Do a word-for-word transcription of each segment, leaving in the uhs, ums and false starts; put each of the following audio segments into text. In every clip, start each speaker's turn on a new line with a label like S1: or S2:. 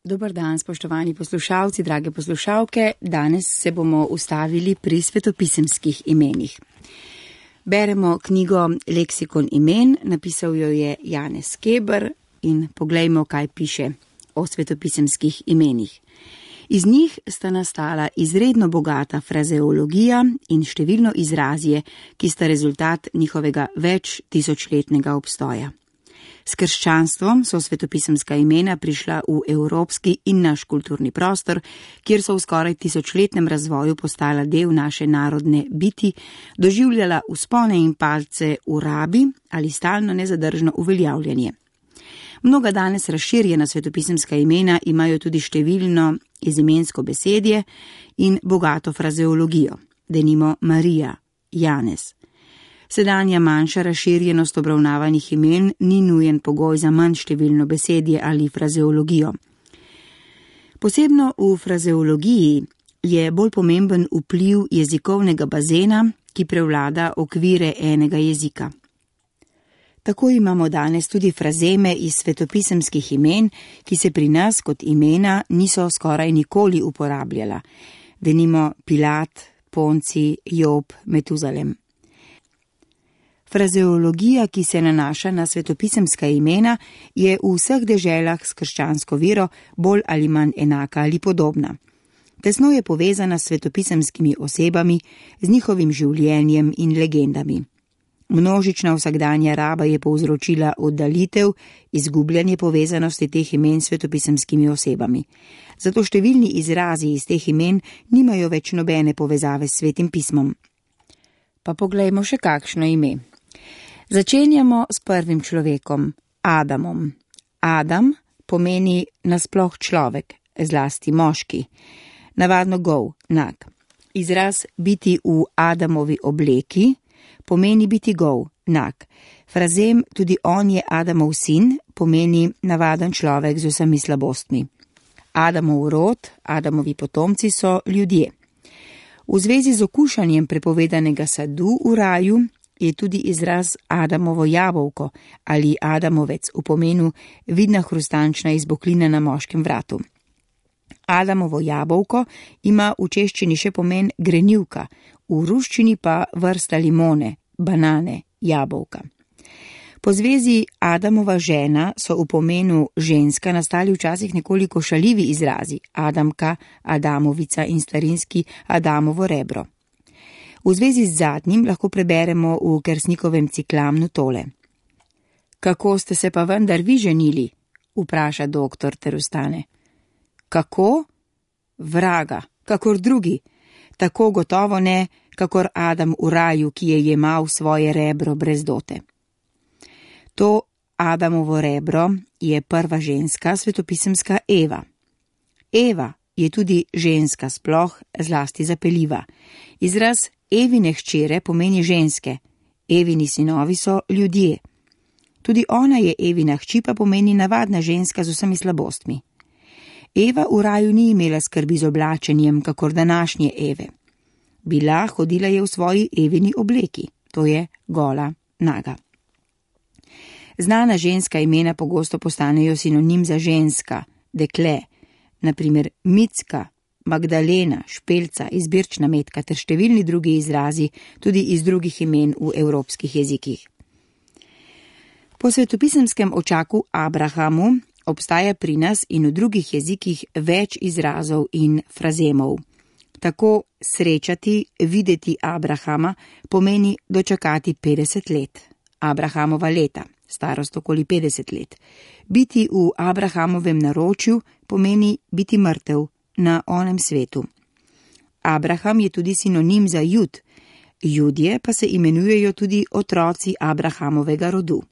S1: Dober dan, spoštovani poslušalci, drage poslušalke. Danes se bomo ustavili pri svetopisemskih imenih. Beremo knjigo Leksikon imen, napisal jo je Janez Keber in poglejmo, kaj piše o svetopisemskih imenih. Iz njih sta nastala izredno bogata frazeologija in številno izrazje, ki sta rezultat njihovega več tisočletnega obstoja. S krščanstvom so svetopisemska imena prišla v evropski in naš kulturni prostor, kjer so v skoraj tisočletnem razvoju postala del naše narodne biti, doživljala vzpone in palce v rabi ali stalno nezadržno uveljavljanje. Mnoga danes razširjena svetopisemska imena imajo tudi številno izimensko besedje in bogato frazeologijo, denimo Marija, Janez. Sedanja manjša razširjenost obravnavanih imen ni nujen pogoj za manj številno besedje ali frazeologijo. Posebno v frazeologiji je bolj pomemben vpliv jezikovnega bazena, ki prevlada okvire enega jezika. Tako imamo danes tudi frazeme iz svetopisemskih imen, ki se pri nas kot imena niso skoraj nikoli uporabljala, denimo Pilat, Ponci, Job, Metuzalem. Frazeologija, ki se nanaša na svetopisemska imena, je v vseh deželah s krščansko vero bolj ali manj enaka ali podobna. Tesno je povezana s svetopisemskimi osebami, z njihovim življenjem in legendami. Množična vsakdanja raba je povzročila oddaljitev, izgubljanje povezanosti teh imen s svetopisemskimi osebami. Zato številni izrazi iz teh imen nimajo več nobene povezave s svetim pismom. Pa poglejmo še kakšno ime. Začenjamo s prvim človekom, Adamom. Adam pomeni nasploh človek, zlasti moški. Navadno gol, nag. Izraz biti v Adamovi obleki pomeni biti gol, nag. Frazem tudi on je Adamov sin pomeni navaden človek z vsemi slabostmi. Adamov rod, Adamovi potomci so ljudje. V zvezi z okušanjem prepovedanega sadu v raju je tudi izraz Adamovo jabolko ali Adamovec v pomenu vidna hrustančna izboklina na moškem vratu. Adamovo jabolko ima v češčini še pomen grenivka, v ruščini pa vrsta limone, banane, jabolka. Po zvezi Adamova žena so v pomenu ženska nastali včasih nekoliko šaljivi izrazi Adamka, Adamovica in starinski Adamovo rebro. V zvezi z zadnjim lahko preberemo v Kersnikovem ciklamnu tole. Kako ste se pa vendar vi ženili? Vpraša doktor ter vstane. Kako? Vraga, kakor drugi. Tako gotovo ne, kakor Adam v raju, ki je jemal svoje rebro brez dote. To Adamovo rebro je prva ženska svetopisemska Eva. Eva je tudi ženska sploh, zlasti zapeljiva. Izraz Evine hčere pomeni ženske, Evini sinovi so ljudje. Tudi ona je Evina hči, pa pomeni navadna ženska z vsemi slabostmi. Eva v raju ni imela skrbi z oblačenjem, kakor današnje Eve. Bila hodila je v svoji Evini obleki, to je gola, naga. Znana ženska imena pogosto postanejo sinonim za ženska, dekle, naprimer Micka, Magdalena, Špelca, izbirčna metka ter številni drugi izrazi tudi iz drugih imen v evropskih jezikih. Po svetopisemskem očaku Abrahamu obstaja pri nas in v drugih jezikih več izrazov in frazemov. Tako srečati, videti Abrahama pomeni dočakati petdeset let, Abrahamova leta, starost okoli petdeset let. Biti v Abrahamovem naročju pomeni biti mrtev na onem svetu. Abraham je tudi sinonim za Jud, Judje pa se imenujejo tudi otroci Abrahamovega rodu.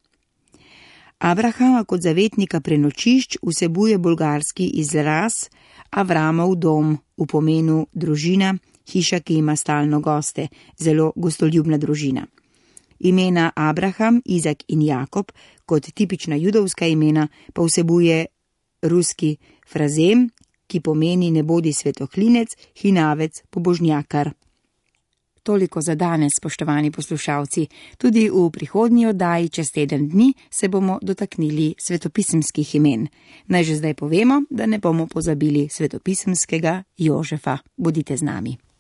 S1: Abrahama kot zavetnika prenočišč vsebuje bolgarski izraz Avramov dom v pomenu družina, hiša, ki ima stalno goste, zelo gostoljubna družina. Imena Abraham, Izak in Jakob kot tipična judovska imena pa vsebuje ruski frazem, ki pomeni ne bodi svetohlinec, hinavec, pobožnjakar. Toliko za danes, spoštovani poslušalci. Tudi v prihodnji oddaji čez teden dni se bomo dotaknili svetopisemskih imen. Naj že zdaj povemo, da ne bomo pozabili svetopisemskega Jožefa. Bodite z nami.